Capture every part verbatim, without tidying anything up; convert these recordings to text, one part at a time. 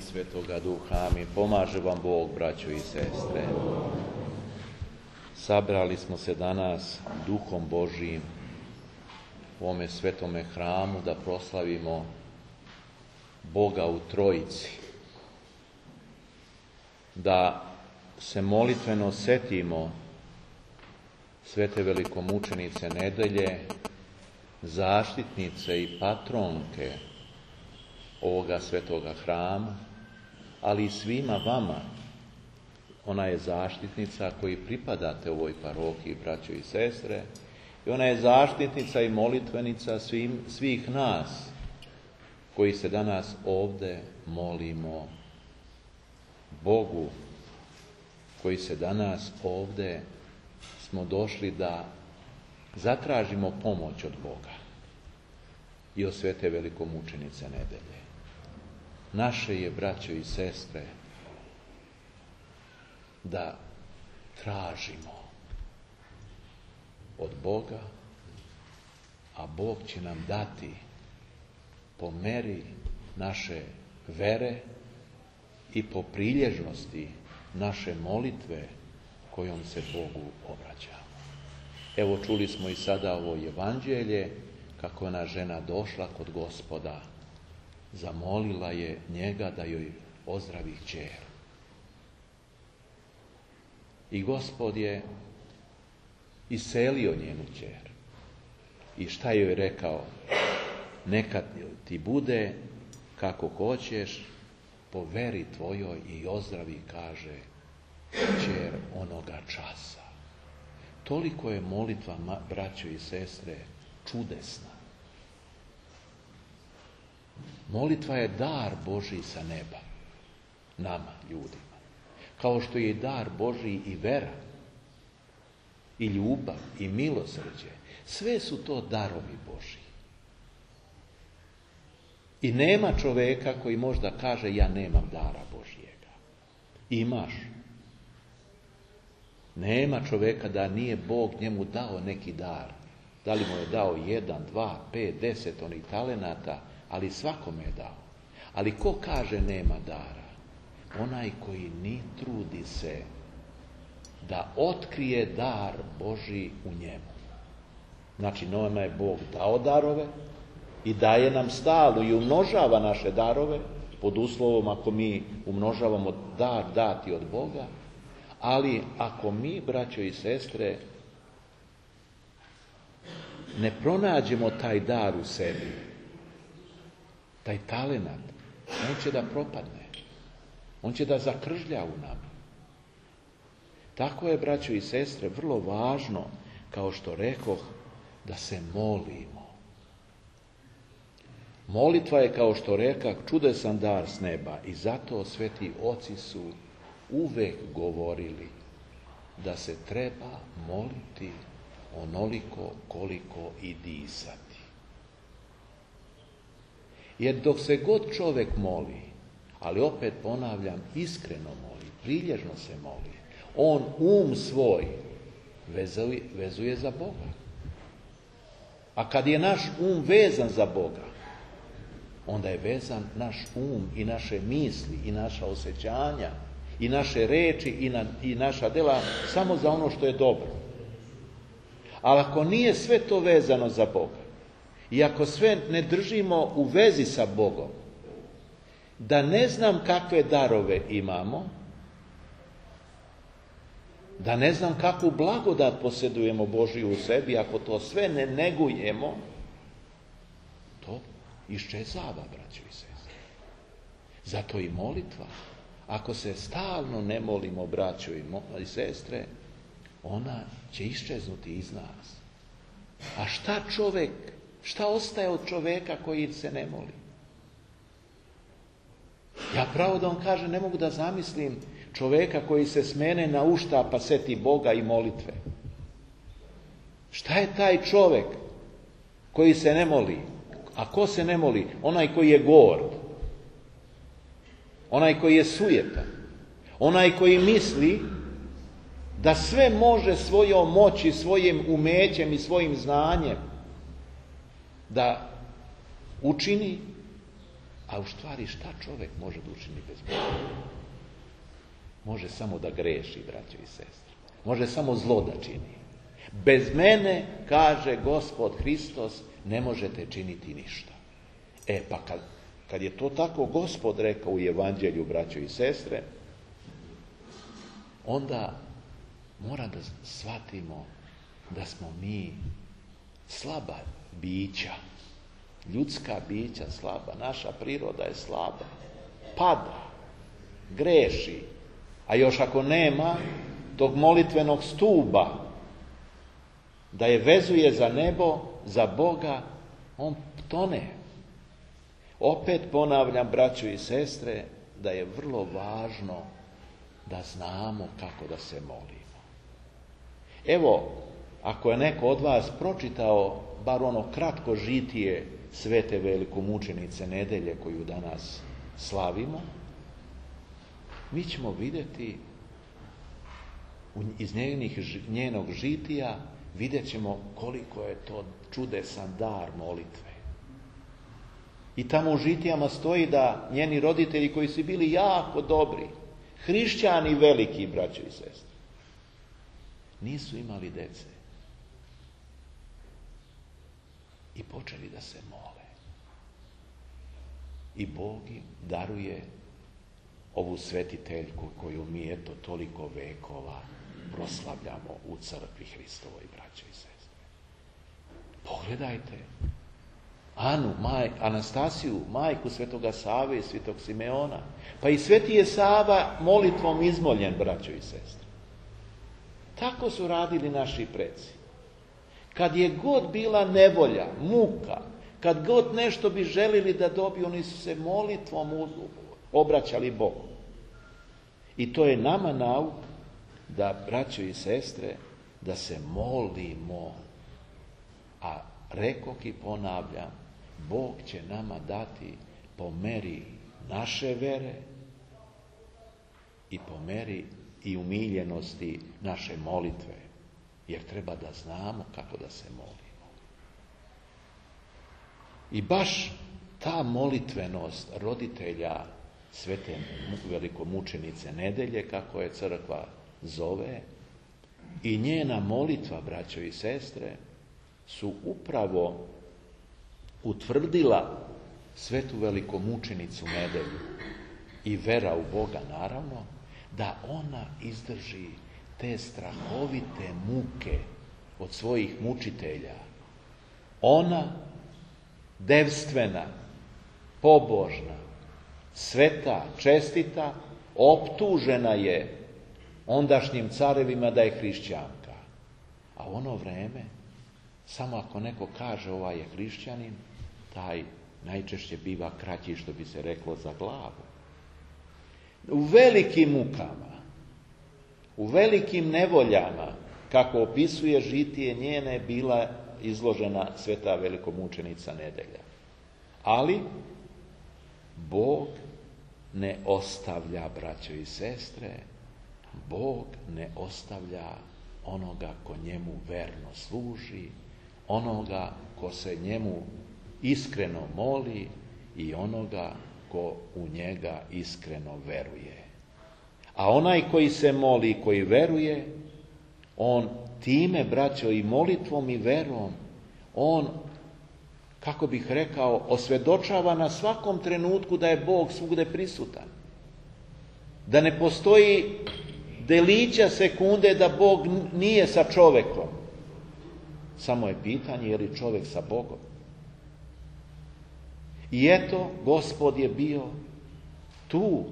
i Svetoga Duha. Amin. Pomaže vam Bog, braćo i sestre. Sabrali smo se danas Duhom Božijim u ovome svetome hramu da proslavimo Boga u Trojici. Da se molitveno setimo svete velikomučenice Nedelje, zaštitnice i patronke ovoga svetoga hrama, ali i svima vama. Ona je zaštitnica koji pripadate ovoj parohiji, braćo i sestre, i ona je zaštitnica i molitvenica svim, svih nas koji se danas ovdje molimo Bogu, koji se danas ovdje smo došli da zatražimo pomoć od Boga i od svete velikomučenice Nedelje. Naše je, braćo i sestre, da tražimo od Boga, a Bog će nam dati po meri naše vere i po prilježnosti naše molitve kojom se Bogu obraćamo. Evo, čuli smo i sada ovo evanđelje, kako je ona žena došla kod Gospoda, zamolila je njega da joj ozdravi kćer. I Gospod je iselio njenu kćer. I šta joj rekao? Neka ti bude kako hoćeš, po veri tvojoj, i ozdravi, kaže, kćer onoga časa. Toliko je molitva, braćo i sestre, čudesna. Molitva je dar Božji sa neba, nama, ljudima. Kao što je i dar Božji i vera, i ljubav, i milosrđe. Sve su to darovi Božji. I nema čoveka koji možda kaže, ja nemam dara Božjega. Imaš. Nema čoveka da nije Bog njemu dao neki dar. Da li mu je dao jedan, dva, pet, deset onih talenata, ali svakome je dao. Ali ko kaže nema dara? Onaj koji ni trudi se da otkrije dar Božji u njemu. Znači, nama je Bog dao darove i daje nam stalno i umnožava naše darove, pod uslovom ako mi umnožavamo dar dati od Boga, ali ako mi, braćo i sestre, ne pronađemo taj dar u sebi, taj talenat, on će da propadne. On će da zakržlja u nama. Tako je, braćo i sestre, vrlo važno, kao što rekoh, da se molimo. Molitva je, kao što rekah, čudesan dar s neba, i zato sveti oci su uvek govorili da se treba moliti onoliko koliko i disati. Jer dok se god čovjek moli, ali opet ponavljam, iskreno moli, prilježno se moli, on um svoj vezuje, vezuje za Boga. A kad je naš um vezan za Boga, onda je vezan naš um i naše misli i naša osjećanja i naše reči i, na, i naša djela samo za ono što je dobro. Ali ako nije sve to vezano za Boga i ako sve ne držimo u vezi sa Bogom, da ne znam kakve darove imamo, da ne znam kakvu blagodat posjedujemo Božiju u sebi, ako to sve ne negujemo, to iščezava, braćo i sestre. Zato i molitva, ako se stalno ne molimo, braćo i sestre, ona će iščeznuti iz nas. A šta čovjek, šta ostaje od čovjeka koji se ne moli? Ja pravo da vam kažem, ne mogu da zamislim čovjeka koji se smene na ušta pa seti Boga i molitve. Šta je taj čovjek koji se ne moli? A ko se ne moli? Onaj koji je gord. Onaj koji je sujetan. Onaj koji misli da sve može svojom moći, svojim umećem i svojim znanjem da učini, A u stvari šta čovjek može da učini bez Boga? Može samo da greši, braćo i sestre. Može samo zlo da čini. Bez mene, kaže Gospod Hristos, ne možete činiti ništa. E pa kad, kad je to tako Gospod rekao u Evanđelju, braćo i sestre, onda mora da shvatimo da smo mi slaba bića. Ljudska bića slaba. Naša priroda je slaba. Pada. Greši. A još ako nema tog molitvenog stuba da je vezuje za nebo, za Boga, on tone. Opet ponavljam, braćo i sestre, da je vrlo važno da znamo kako da se molimo. Evo, ako je neko od vas pročitao bar ono kratko žitije svete velikomučenice Nedelje koju danas slavimo, mi ćemo vidjeti iz njenih, njenog žitija, vidjet ćemo koliko je to čudesan dar molitve. I tamo u žitijama stoji da njeni roditelji koji su bili jako dobri, hrišćani veliki, braćo i sestre, nisu imali dece. I počeli da se mole. I Bog im daruje ovu svetiteljku koju mi eto toliko vekova proslavljamo u crkvi Hristovoj, braćo i sestre. Pogledajte Anu, maj, Anastasiju, majku svetoga Save i svetog Simeona. Pa i sveti je Sava molitvom izmoljen, braćo i sestre. Tako su radili naši preci. Kad je god bila nevolja, muka, kad god nešto bi želili da dobiju, oni su se molitvom obraćali Bogu. I to je nama nauk da, braćo i sestre, da se molimo. A rekoh i ponavljam, Bog će nama dati po meri naše vere i po meri i umiljenosti naše molitve. Jer treba da znamo kako da se molimo. I baš ta molitvenost roditelja svete velikomučenice Nedelje, kako je crkva zove, i njena molitva, braćo i sestre, su upravo utvrdila svetu velikomučenicu Nedelju i vera u Boga, naravno, da ona izdrži te strahovite muke od svojih mučitelja. Ona, devstvena, pobožna, sveta, čestita, optužena je ondašnjim carevima da je hrišćanka. A u ono vreme, samo ako neko kaže ovaj je hrišćanin, taj najčešće biva kraći, što bi se reklo, za glavu. U velikim mukama, u velikim nevoljama, kako opisuje žitije njene, bila izložena sveta velikomučenica Nedelja. Ali Bog ne ostavlja, braćo i sestre, Bog ne ostavlja onoga ko njemu verno služi, onoga ko se njemu iskreno moli i onoga ko u njega iskreno veruje. A onaj koji se moli i koji veruje, on time, braćo, i molitvom i verom, on, kako bih rekao, osvjedočava na svakom trenutku da je Bog svugde prisutan. Da ne postoji delića sekunde da Bog nije sa čovekom. Samo je pitanje je li čovjek sa Bogom. I eto, Gospod je bio tu.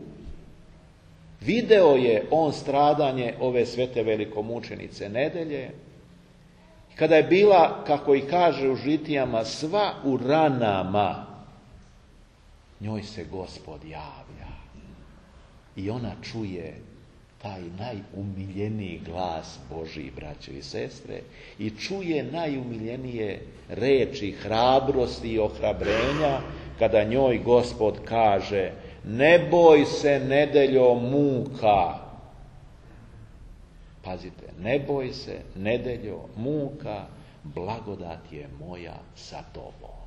Video je on stradanje ove svete velikomučenice Nedelje. Kada je bila, kako i kaže u žitijama, sva u ranama, njoj se Gospod javlja. I ona čuje taj najumiljeniji glas Božji, braćo i sestre, i čuje najumiljenije reči hrabrosti i ohrabrenja, kada njoj Gospod kaže: ne boj se, Nedeljo, muka. Pazite, ne boj se, Nedeljo, muka, blagodat je moja sa tobom.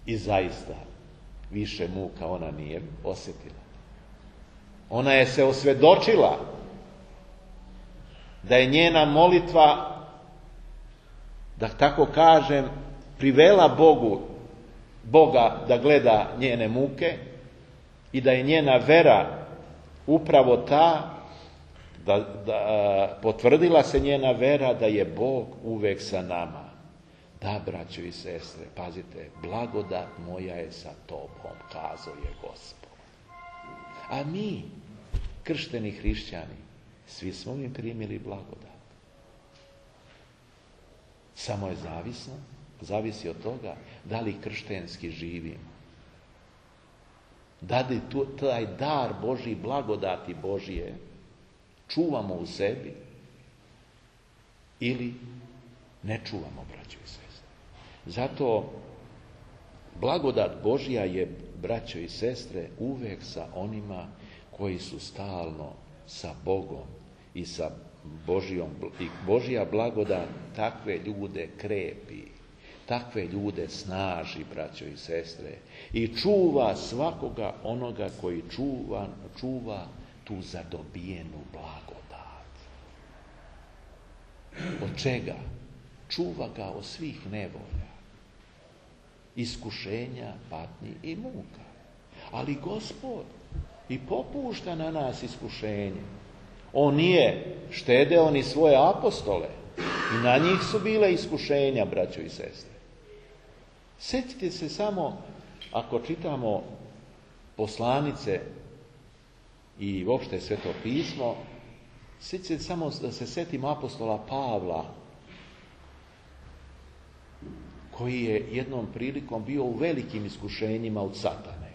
I zaista, više muka ona nije osjetila. Ona je se osvjedočila da je njena molitva, da tako kažem, privela Bogu, Boga da gleda njene muke i da je njena vera upravo ta, da, da potvrdila se njena vera da je Bog uvek sa nama. Da, braćo i sestre, pazite, blagodat moja je sa tobom, kazao je Gospod. A mi, kršteni hrišćani, svi smo mi primili blagodat. Samo je zavisno, zavisi od toga da li krštenski živim. Da li tu, taj dar Božji, blagodati Božije, čuvamo u sebi ili ne čuvamo, braćo i sestre. Zato blagodat Božja je, braćo i sestre, uvek sa onima koji su stalno sa Bogom i sa Božijom. I Božja blagodat takve ljude krepi, takve ljude snaži, braćo i sestre, i čuva svakoga onoga koji čuva, čuva tu zadobijenu blagodat. Od čega? Čuva ga od svih nevolja, iskušenja, patnji i muka. Ali Gospod i popušta na nas iskušenje. On nije štedeo ni svoje apostole i na njih su bile iskušenja, braćo i sestre. Sjetite se samo, ako čitamo poslanice i uopšte Sveto pismo, sjetite se samo da se sjetimo apostola Pavla, koji je jednom prilikom bio u velikim iskušenjima od satane.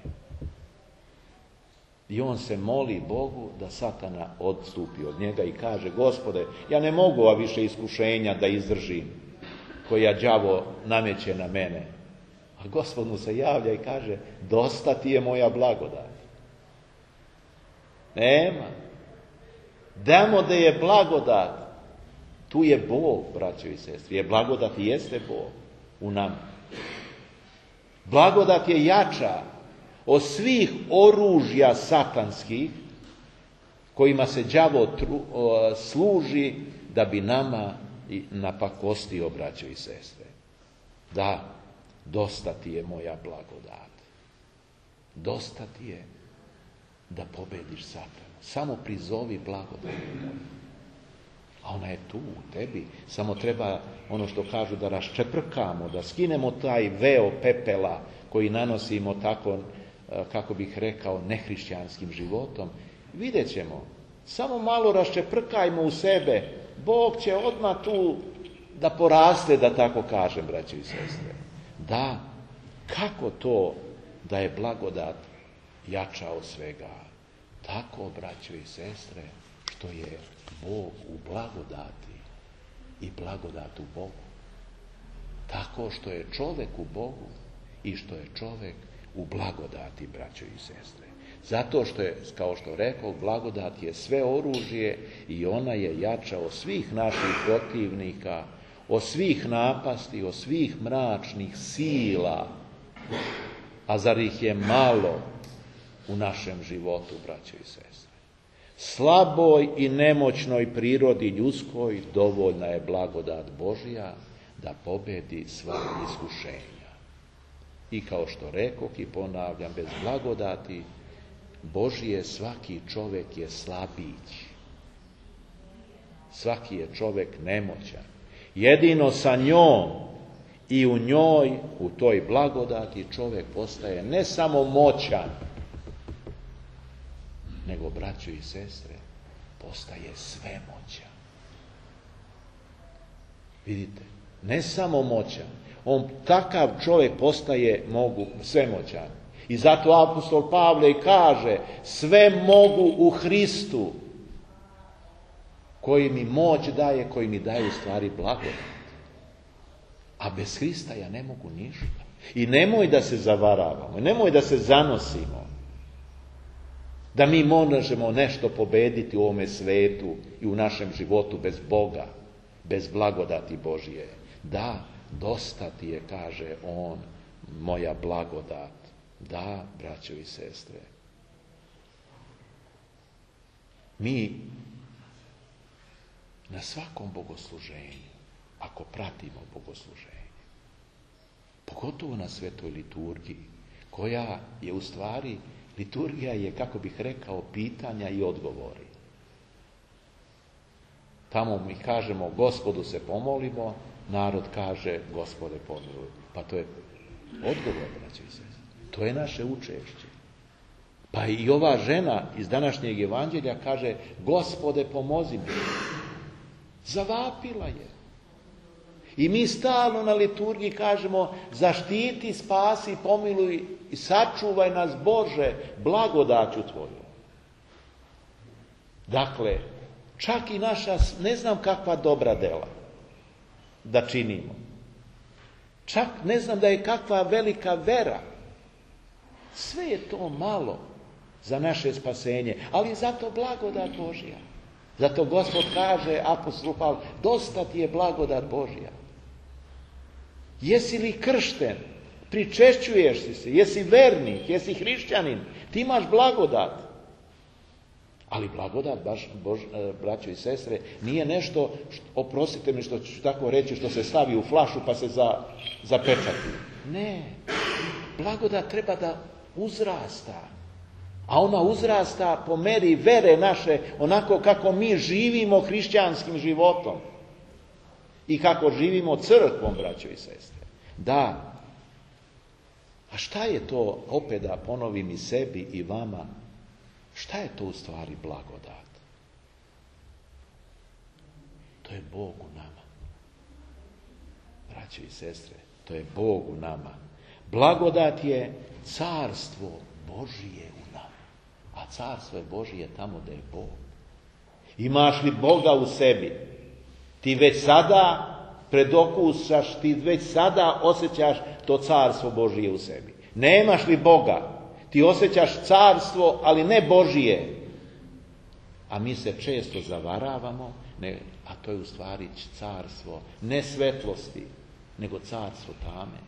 I on se moli Bogu da satana odstupi od njega i kaže: Gospode, ja ne mogu ova više iskušenja da izdržim, koja đavo nameće na mene. A Gospod mu se javlja i kaže: dosta ti je moja blagodat. Nema. Damo da je blagodat. Tu je Bog, braćo i sestri. Je blagodat i jeste Bog u nama. Blagodat je jača od svih oružja satanskih kojima se đavo tru, o, služi da bi nama napakostio, braćo i sestre. Da, dosta ti je moja blagodat. Dosta ti je da pobediš satana. Samo prizovi blagodat. A ona je tu u tebi. Samo treba, ono što kažu, da raščeprkamo, da skinemo taj veo pepela koji nanosimo tako, kako bih rekao, nehrišćanskim životom. Vidjet ćemo. Samo malo raščeprkajmo u sebe. Bog će odmah tu da poraste, da tako kažem, braći i sestre. Da, kako to da je blagodat jača od svega? Tako, braćo i sestre, što je Bog u blagodati i blagodat u Bogu. Tako što je čovjek u Bogu i što je čovjek u blagodati, braćo i sestre. Zato što je, kao što rekao, blagodat je sve oružje i ona je jača od svih naših protivnika, od svih napasti, od svih mračnih sila. A zar ih je malo u našem životu, braćo i sestre? Slaboj i nemoćnoj prirodi ljudskoj dovoljna je blagodat Božja da pobedi sva iskušenja. I kao što rekoh i ponavljam, bez blagodati Božje svaki čovjek je slabić. Svaki je čovjek nemoćan. Jedino sa njom i u njoj, u toj blagodati, čovjek postaje ne samo moćan, nego, braćo i sestre, postaje svemoćan. Vidite, ne samo moćan, on takav čovjek postaje mogu svemoćan. I zato apostol Pavle i kaže: sve mogu u Hristu, koji mi moć daje, koji mi daje u stvari blagodat. A bez Hrista ja ne mogu ništa. I nemoj da se zavaravamo, nemoj da se zanosimo da mi možemo nešto pobediti u ovome svetu i u našem životu bez Boga, bez blagodati Božije. Da, dosta ti je, kaže on, moja blagodat. Da, braćo i sestre. Mi na svakom bogosluženju, ako pratimo bogosluženje, pogotovo na svetoj liturgiji, koja je u stvari, liturgija je, kako bih rekao, pitanja i odgovori. Tamo mi kažemo Gospodu se pomolimo, narod kaže Gospode pomiluj. Pa to je odgovor, braćo i sestre. To je naše učešće. Pa i ova žena iz današnjeg evanđelja kaže Gospode pomozi mi. Zavapila je. I mi stalno na liturgiji kažemo zaštiti, spasi, pomiluj i sačuvaj nas Bože blagodaću Tvoju. Dakle, čak i naša ne znam kakva dobra dela da činimo. Čak ne znam da je kakva velika vera. Sve je to malo za naše spasenje, ali je zato blagodat Božja. Zato Gospod kaže, apostol Pavle, dosta ti je blagodat Božja. Jesi li kršten? Pričešćuješ si se? Jesi vernik? Jesi hrišćanin? Ti imaš blagodat. Ali blagodat, baš, Bož, braćo i sestre, nije nešto, što, oprostite mi što ću tako reći, što se stavi u flašu pa se za, zapečati. Ne. Blagodat treba da uzrasta. A ona uzrasta po meri vere naše, onako kako mi živimo hrišćanskim životom. I kako živimo crkvom, braćo i sestre. Da. A šta je to, opet da ponovim i sebi i vama, šta je to u stvari blagodat? To je Bog u nama. Braćo i sestre, to je Bog u nama. Blagodat je carstvo Božije u nama. A carstvo je Božije tamo da je Bog. Imaš li Boga u sebi? Ti već sada predokusaš, ti već sada osjećaš to carstvo Božije u sebi. Nemaš li Boga? Ti osjećaš carstvo, ali ne Božije. A mi se često zavaravamo, ne, a to je u stvari carstvo ne svetlosti, nego carstvo tame.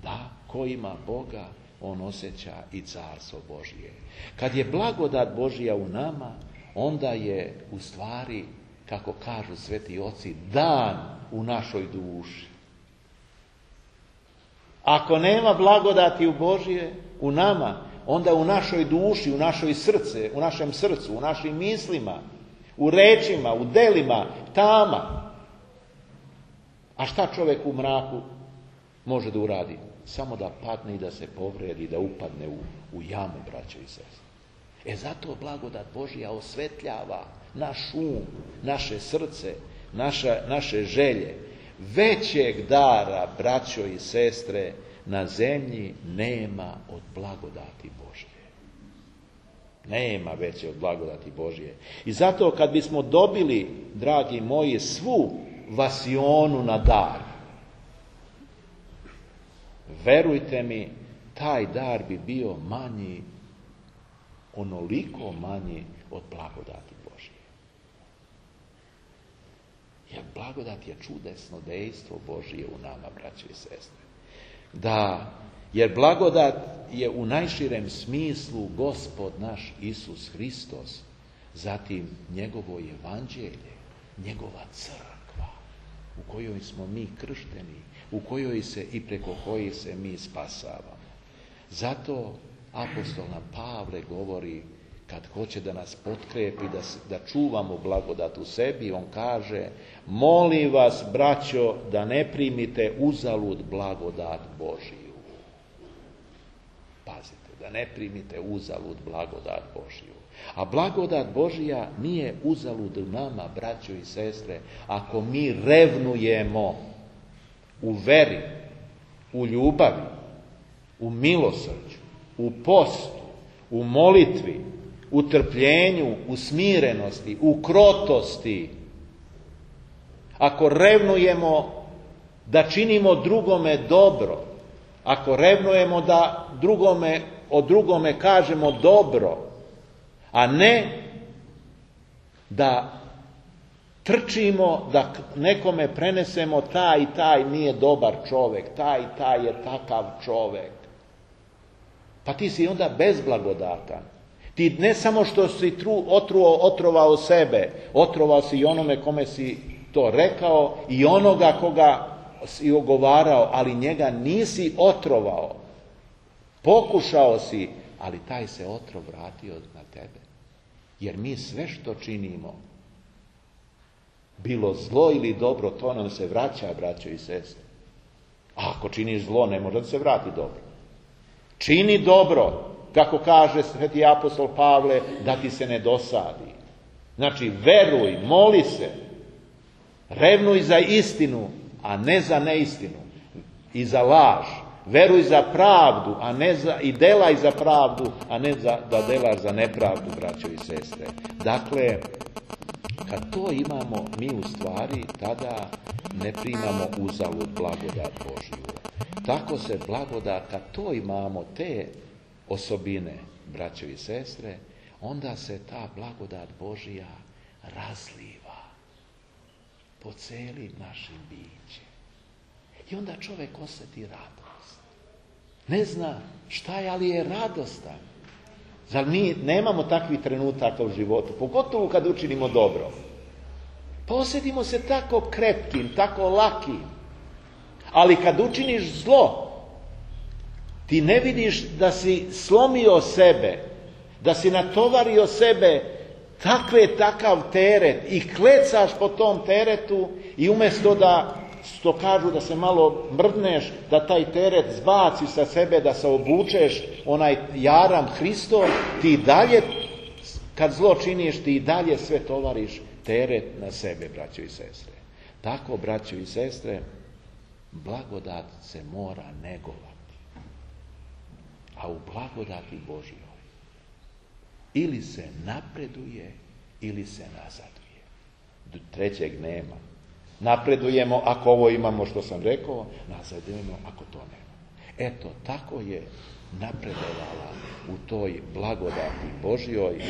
Da, ko ima Boga, on osjeća i carstvo Božije. Kad je blagodat Božja u nama, onda je u stvari, kako kažu sveti oci, dan u našoj duši. Ako nema blagodati u Božje, u nama, onda u našoj duši, u našoj srce, u našem srcu, u našim mislima, u rečima, u delima, tama. A šta čovjek u mraku može da uradi? Samo da padne i da se povredi, da upadne u, u jamu, braćo i sestre. E zato blagodat Božja osvetljava naš um, naše srce, naša, naše želje. Većeg dara, braćo i sestre, na zemlji nema od blagodati Božje. Nema veće od blagodati Božje. I zato kad bismo dobili, dragi moji, svu vasionu na dar, verujte mi, taj dar bi bio manji, onoliko manji od blagodati Božje. Jer blagodat je čudesno dejstvo Božje u nama, braćo i sestre. Da, jer blagodat je u najširem smislu Gospod naš Isus Hristos, zatim njegovo evanđelje, njegova crkva, u kojoj smo mi kršteni, u kojoj se i preko kojih se mi spasavamo. Zato apostol nam Pavle govori, kad hoće da nas potkrepi, da, da čuvamo blagodat u sebi, on kaže, molim vas, braćo, da ne primite uzalud blagodat Božiju. Pazite, da ne primite uzalud blagodat Božiju. A blagodat Božija nije uzalud u nama, braćo i sestre, ako mi revnujemo u veri, u ljubavi, u milosrđu, u postu, u molitvi, u trpljenju, u smirenosti, u krotosti. Ako revnujemo da činimo drugome dobro, ako revnujemo da drugome, o drugome kažemo dobro, a ne da trčimo da nekome prenesemo taj i taj nije dobar čovek, taj i taj je takav čovek. Pa ti si onda bezblagodatan. Ti ne samo što si tru, otruo, otrovao sebe, otrovao si i onome kome si to rekao i onoga koga si ogovarao, ali njega nisi otrovao. Pokušao si, ali taj se otrov vratio na tebe. Jer mi sve što činimo, bilo zlo ili dobro, to nam se vraća, braćo i sestre. A ako činiš zlo, ne može da se vrati dobro. Čini dobro, kako kaže sveti apostol Pavle, da ti se ne dosadi. Znači, veruj, moli se, revnuj za istinu, a ne za neistinu i za laž. Veruj za pravdu, a ne za, i delaj za pravdu, a ne za, da delaš za nepravdu, braćo i sestre. Dakle, kad to imamo, mi u stvari tada ne primamo uzalud blagodat Božju. Tako se blagodat, kad to imamo, te osobine, braćo i sestre, onda se ta blagodat Božja razliva po celim našim bićem. I onda čovjek osjeti radost. Ne zna šta je, ali je radostan. Zar mi nemamo takvih trenutaka u životu, pogotovo kad učinimo dobro? Pa osjetimo se tako krepkim, tako lakim. Ali kad učiniš zlo, ti ne vidiš da si slomio sebe, da si natovario sebe takve takav teret i klecaš po tom teretu i umjesto da, što kažu da se malo mrdneš, da taj teret zbaci sa sebe, da se obučeš onaj jaram Hristov, ti dalje, kad zlo činiš, ti dalje sve tovariš teret na sebe, braćo i sestre. Tako, braćo i sestre, blagodat se mora negovati. A u blagodati Božjoj ili se napreduje, ili se nazaduje. Trećeg nema. Napredujemo ako ovo imamo što sam rekao, nazadujemo ako to nema. Eto, tako je napredovala u toj blagodati Božjoj,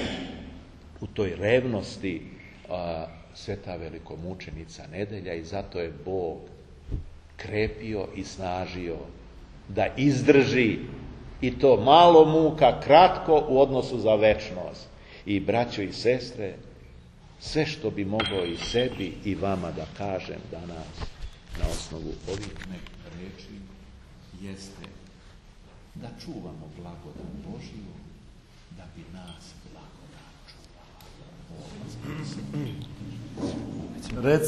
u toj revnosti a, sveta velikomučenica Nedelja, i zato je Bog krepio i snažio da izdrži i to malo muka, kratko u odnosu za večnost. I braćo i sestre, sve što bi mogao i sebi i vama da kažem danas na osnovu ovih reči jeste da čuvamo blagodat Božju, da bi nas blagodat čuvala. Reci